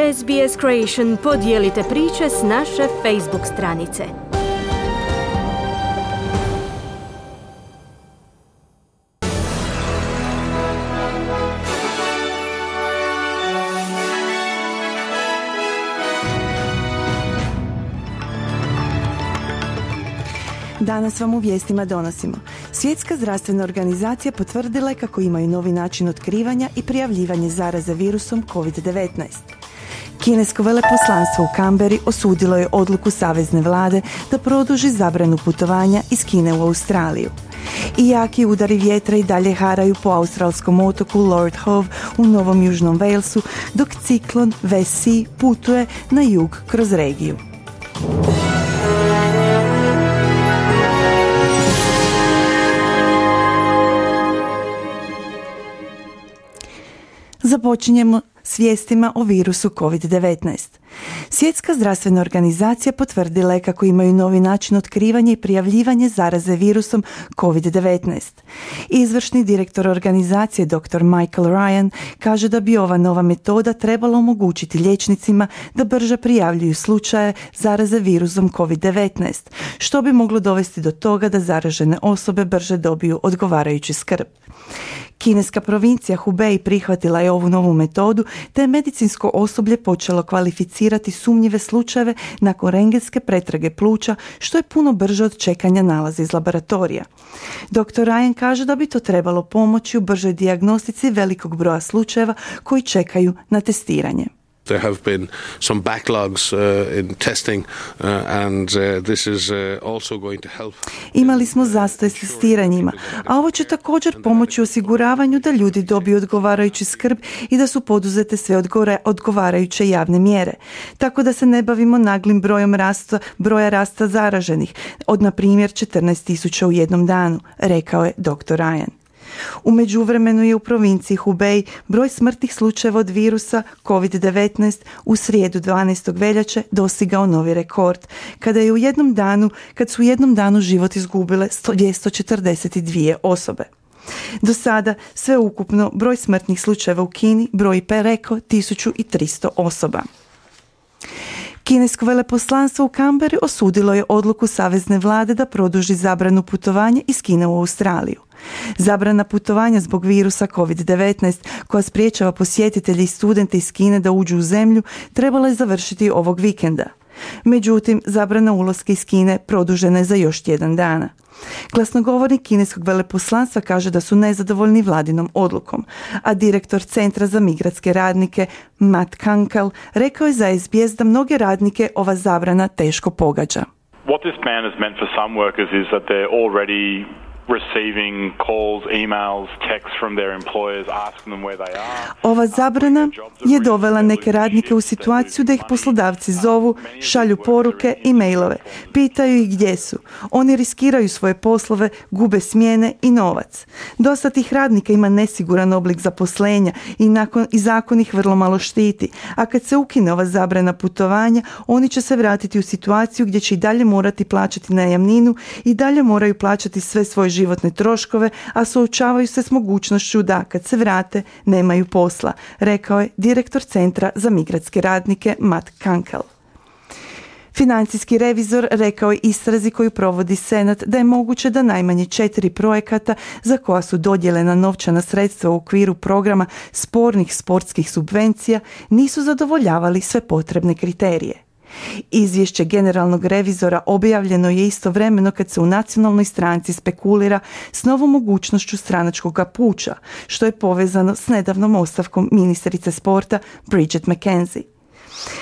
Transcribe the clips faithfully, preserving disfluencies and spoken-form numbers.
S B S Creation podijelite priče s naše Facebook stranice. Danas vam u vijestima donosimo. Svjetska zdravstvena organizacija potvrdila je kako imaju novi način otkrivanja i prijavljivanja zaraze virusom kovid devetnaest. Kinesko veleposlanstvo u Canberri osudilo je odluku savezne vlade da produži zabranu putovanja iz Kine u Australiju. I jaki udari vjetra i dalje haraju po australskom otoku Lord Howe u Novom Južnom Walesu, dok ciklon Vessi putuje na jug kroz regiju. Započinjemo s vijestima o virusu kovid devetnaest. Svjetska zdravstvena organizacija potvrdila je kako imaju novi način otkrivanja i prijavljivanja zaraze virusom kovid devetnaest. Izvršni direktor organizacije doktor Michael Ryan kaže da bi ova nova metoda trebala omogućiti liječnicima da brže prijavljuju slučaje zaraze virusom kovid devetnaest, što bi moglo dovesti do toga da zaražene osobe brže dobiju odgovarajuću skrb. Kineska provincija Hubei prihvatila je ovu novu metodu, te je medicinsko osoblje počelo kvalificirati sumnjive slučajeve nakon rentgenske pretrage pluća, što je puno brže od čekanja nalaza iz laboratorija. doktor Ryan kaže da bi to trebalo pomoći u bržoj dijagnostici velikog broja slučajeva koji čekaju na testiranje. There have been some backlogs uh, in testing uh, and uh, this is uh, also going to help. Imali smo zastoj s testiranjima, a ovo će također pomoći osiguravanju da ljudi dobiju odgovarajuću skrb i da su poduzete sve odgore, odgovarajuće javne mjere. Tako da se ne bavimo naglim brojom rasta, broja rasta zaraženih, od na primjer četrnaest tisuća u jednom danu, rekao je doktor Ryan. U međuvremenu je u provinciji Hubei broj smrtnih slučajeva od virusa kovid devetnaest u srijedu dvanaestog veljače dostigao novi rekord, kada je u jednom danu, kad su u jednom danu život izgubile dvjesto četrdeset dvije osobe. Do sada sve ukupno broj smrtnih slučajeva u Kini broji preko tisuću tristo osoba. Kinesko veleposlanstvo u Canberri osudilo je odluku savezne vlade da produži zabranu putovanja iz Kine u Australiju. Zabrana putovanja zbog virusa kovid devetnaest, koja spriječava posjetitelje i studente iz Kine da uđu u zemlju, trebala je završiti ovog vikenda. Međutim, zabrana ulaska iz Kine produžena je za još tjedan dana. Glasnogovornik kineskog veleposlanstva kaže da su nezadovoljni vladinom odlukom, a direktor Centra za migratske radnike Matt Kunkel rekao je za S B S da mnoge radnike ova zabrana teško pogađa. What this ban has meant for some workers is that they're already receiving calls, emails, texts from their employers asking them where they are. Ova zabrana je dovela neke radnike u situaciju da ih poslodavci zovu, šalju poruke i mailove, pitaju ih gdje su. Oni riskiraju svoje poslove, gube smjene i novac. Dosta tih radnika ima nesiguran oblik zaposlenja i, nakon, i zakon ih vrlo malo štiti, a kad se ukine ova zabrana putovanja, oni će se vratiti u situaciju gdje će i dalje morati plaćati najamninu i dalje moraju plaćati sve svoje životne troškove, a suočavaju se s mogućnošću da, kad se vrate, nemaju posla, rekao je direktor Centra za migratske radnike Matt Kunkel. Financijski revizor rekao je istrazi koju provodi Senat da je moguće da najmanje četiri projekata za koja su dodijeljena novčana sredstva u okviru programa spornih sportskih subvencija nisu zadovoljavali sve potrebne kriterije. Izvješće generalnog revizora objavljeno je istovremeno kad se u nacionalnoj stranci spekulira s novom mogućnošću stranačkog puča, što je povezano s nedavnom ostavkom ministrice sporta Bridget McKenzie.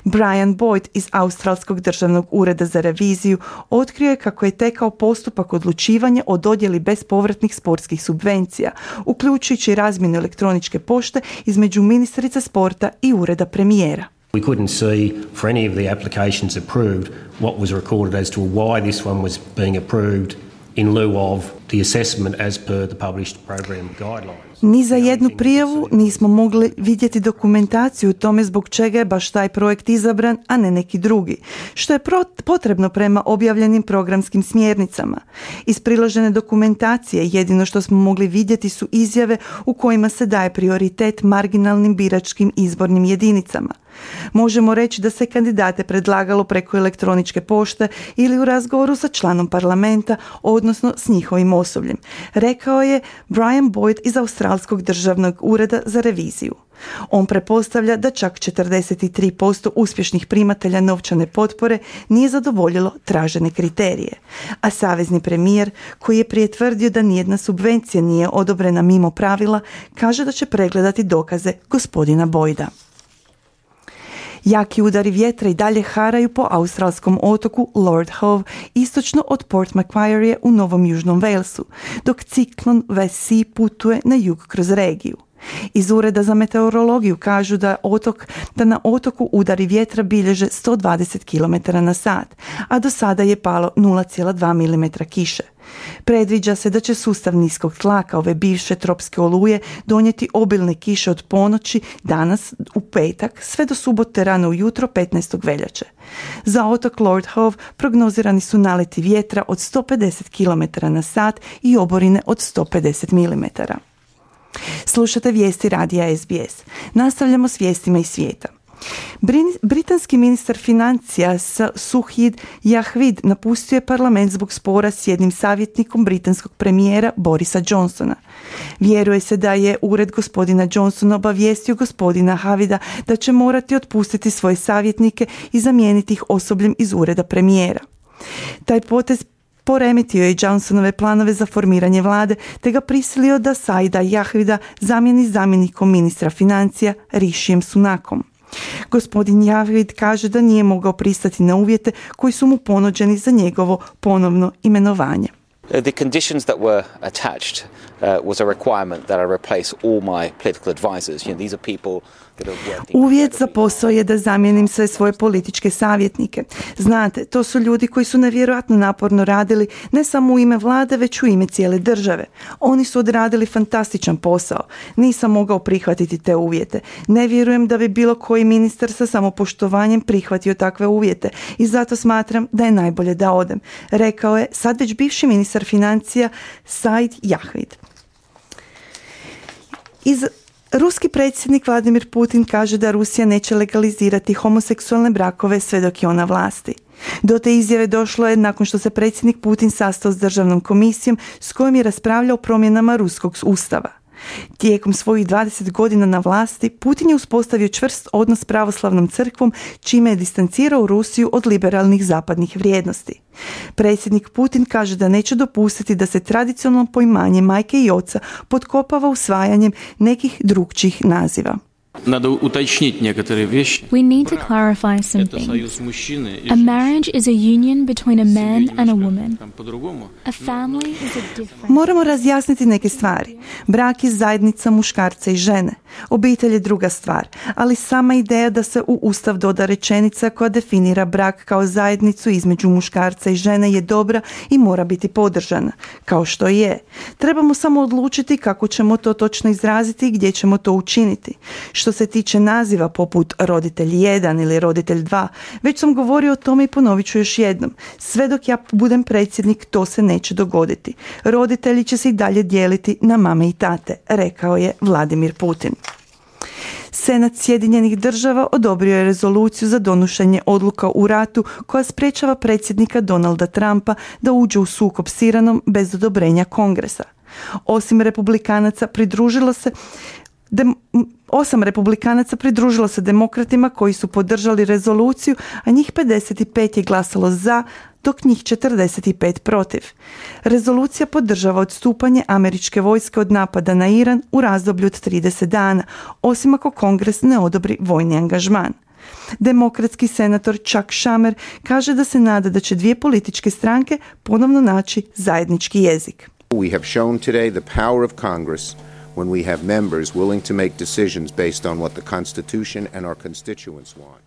Brian Boyd iz Australskog državnog ureda za reviziju otkrio je kako je tekao postupak odlučivanja o dodjeli bespovratnih sportskih subvencija, uključujući razmjenu elektroničke pošte između ministrice sporta i ureda premijera. We couldn't see for any of the applications approved what was recorded as to why this one was being approved in lieu of the assessment as per the published program guidelines. Ni za jednu prijavu nismo mogli vidjeti dokumentaciju o tome zbog čega je baš taj projekt izabran, a ne neki drugi, što je potrebno prema objavljenim programskim smjernicama. Iz priložene dokumentacije jedino što smo mogli vidjeti su izjave u kojima se daje prioritet marginalnim biračkim izbornim jedinicama. Možemo reći da se kandidate predlagalo preko elektroničke pošte ili u razgovoru sa članom parlamenta, odnosno s njihovim osobljem, rekao je Brian Boyd iz Australskog državnog ureda za reviziju. On pretpostavlja da čak četrdeset tri posto uspješnih primatelja novčane potpore nije zadovoljilo tražene kriterije, a savezni premijer, koji je prije tvrdio da nijedna subvencija nije odobrena mimo pravila, kaže da će pregledati dokaze gospodina Boyda. Jaki udari vjetra i dalje haraju po australskom otoku Lord Howe, istočno od Port Macquarie u Novom Južnom Walesu, dok ciklon West Sea putuje na jug kroz regiju. Iz Ureda za meteorologiju kažu da, otok, da na otoku udari vjetra bilježe sto dvadeset kilometara na sat, a do sada je palo nula zarez dva milimetra kiše. Predviđa se da će sustav niskog tlaka ove bivše tropske oluje donijeti obilne kiše od ponoći danas u petak sve do subote rano ujutro petnaestog veljače. Za otok Lord Howe prognozirani su naleti vjetra od sto pedeset kilometara na sat i oborine od sto pedeset milimetara. Slušate vijesti radija S B S. Nastavljamo s vijestima iz svijeta. Britanski ministar financija Suhid Jahvid napustio je parlament zbog spora s jednim savjetnikom britanskog premijera Borisa Johnsona. Vjeruje se da je ured gospodina Johnsona obavijestio gospodina Havida da će morati otpustiti svoje savjetnike i zamijeniti ih osobljem iz ureda premijera. Taj potez poremetio je Johnsonove planove za formiranje vlade, te ga prisilio da Saida Jahvida zamijeni zamjenikom ministra financija Rishijem Sunakom. Gospodin Jahvid kaže da nije mogao pristati na uvjete koji su mu ponuđeni za njegovo ponovno imenovanje. The conditions that were attached uh, was a requirement that I replace all my political advisors. You know, these are people that are working. Uvjet za posao je da zamijenim sve svoje političke savjetnike. Znate, to su ljudi koji su nevjerojatno naporno radili ne samo u ime vlade, već u ime cijele države. Oni su odradili fantastičan posao. Nisam mogao prihvatiti te uvjete. Ne vjerujem da bi bilo koji ministar sa samopoštovanjem prihvatio takve uvjete i zato smatram da je najbolje da odem, rekao je sad već bivši ministar financija Said Jahvid. Iz Ruski predsjednik Vladimir Putin kaže da Rusija neće legalizirati homoseksualne brakove sve dok je ona vlasti. Do te izjave došlo je nakon što se predsjednik Putin sastao s državnom komisijom s kojom je raspravljao o promjenama ruskog ustava. Tijekom svojih dvadeset godina na vlasti, Putin je uspostavio čvrst odnos s pravoslavnom crkvom, čime je distancirao Rusiju od liberalnih zapadnih vrijednosti. Predsjednik Putin kaže da neće dopustiti da se tradicionalno poimanje majke i oca potkopava usvajanjem nekih drugčijih naziva. Надо уточнить некоторые вещи. We need to clarify some things. A marriage is a union between a man and a woman. A family is a different. Moramo razjasniti neke stvari. Brak je zajednica muškarca i žene. Obitelj je druga stvar, ali sama ideja da se u Ustav doda rečenica koja definira brak kao zajednicu između muškarca i žene je dobra i mora biti podržana, kao što je. Trebamo samo odlučiti kako ćemo to točno izraziti i gdje ćemo to učiniti. Što se tiče naziva poput roditelj jedan ili roditelj dva, već sam govorio o tome i ponovit ću još jednom. Sve dok ja budem predsjednik, to se neće dogoditi. Roditelji će se i dalje dijeliti na mame i tate, rekao je Vladimir Putin. Senat Sjedinjenih država odobrio je rezoluciju za donošenje odluka u ratu koja sprečava predsjednika Donalda Trumpa da uđe u sukob s Iranom bez odobrenja Kongresa. Osim republikanaca pridružilo se Dem, osam republikanaca pridružilo se demokratima koji su podržali rezoluciju, a njih pedeset pet je glasalo za, dok njih četrdeset pet protiv. Rezolucija podržava odstupanje američke vojske od napada na Iran u razdoblju od trideset dana, osim ako Kongres ne odobri vojni angažman. Demokratski senator Chuck Schumer kaže da se nada da će dvije političke stranke ponovno naći zajednički jezik. We have shown today the power of Congress when we have members willing to make decisions based on what the Constitution and our constituents want.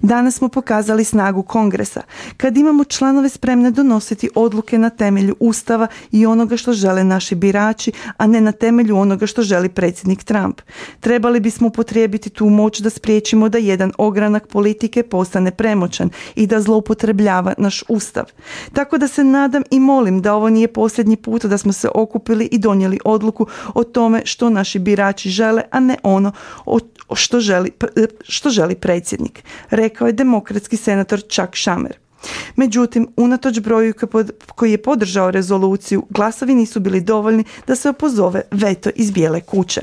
Danas smo pokazali snagu Kongresa, kad imamo članove spremne donositi odluke na temelju Ustava i onoga što žele naši birači, a ne na temelju onoga što želi predsjednik Trump. Trebali bismo upotrijebiti tu moć da spriječimo da jedan ogranak politike postane premoćan i da zloupotrebljava naš Ustav. Tako da se nadam i molim da ovo nije posljednji put da smo se okupili i donijeli odluku o tome što naši birači žele, a ne ono o što želi, što želi predsjednik, rekao je demokratski senator Chuck Schumer. Međutim, unatoč broju koji je podržao rezoluciju, glasovi nisu bili dovoljni da se opozove veto iz Bijele kuće.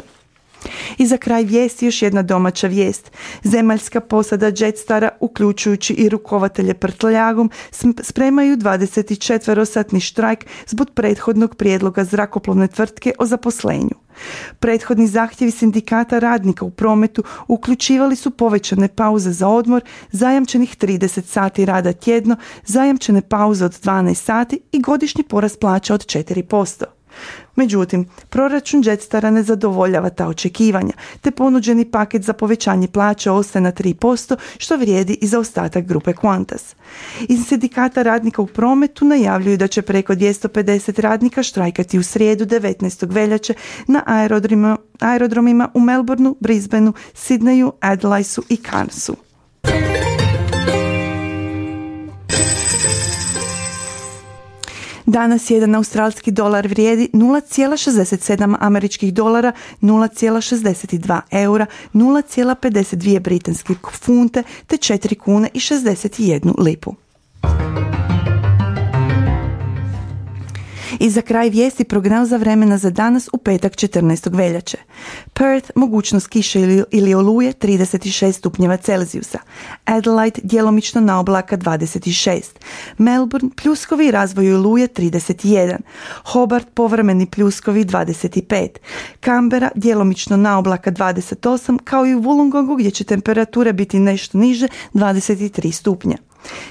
I za kraj vijesti još jedna domaća vijest. Zemaljska posada Jetstara, uključujući i rukovatelje prtljagom, spremaju dvadesetčetverosatni štrajk zbog prethodnog prijedloga zrakoplovne tvrtke o zaposlenju. Prethodni zahtjevi sindikata radnika u prometu uključivali su povećane pauze za odmor, zajamčenih trideset sati rada tjedno, zajamčene pauze od dvanaest sati i godišnji porast plaća od četiri posto. Međutim, proračun Jetstara ne zadovoljava ta očekivanja, te ponuđeni paket za povećanje plaća ostaje na tri posto, što vrijedi i za ostatak grupe Qantas. Iz sindikata radnika u prometu najavljuju da će preko dvjesto pedeset radnika štrajkati u srijedu devetnaestog veljače na aerodromima, aerodromima u Melbourneu, Brisbaneu, Sydneyu, Adelaidu i Cairnsu. Danas jedan australski dolar vrijedi nula zarez šezdeset sedam američkih dolara, nula zarez šezdeset dva eura, nula zarez pedeset dvije britanske funte te četiri kune i šezdeset jednu lipu. I za kraj vijesti prognoza vremena za danas u petak četrnaestog veljače. Perth, mogućnost kiše ili, ili oluje trideset šest stupnjeva Celzijusa. Adelaide, djelomično na oblaka dvadeset šest. Melbourne, pljuskovi i razvoj oluje trideset jedan. Hobart, povremeni pljuskovi dvadeset pet. Canberra, djelomično na oblaka dvadeset osam, kao i u Wollongongu gdje će temperature biti nešto niže dvadeset tri stupnja.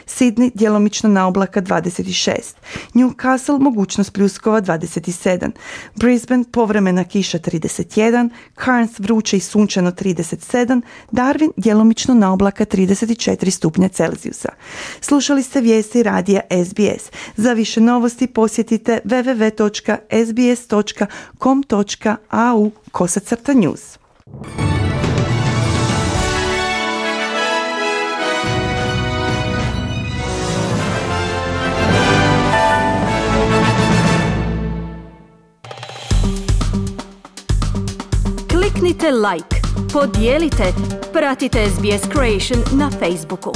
Sydney, djelomično na oblaka dvadeset šest. Newcastle, mogućnost pljuskova dvadeset sedam. Brisbane, povremena kiša trideset jedan. Cairns, vruće i sunčano trideset sedam. Darwin, djelomično na oblaka trideset četiri stupnja Celzijusa. Slušali ste vijesti radija S B S. Za više novosti posjetite w w w točka s b s točka com točka a u kosacrta news. Kliknite like, podijelite, pratite S B S Creation na Facebooku.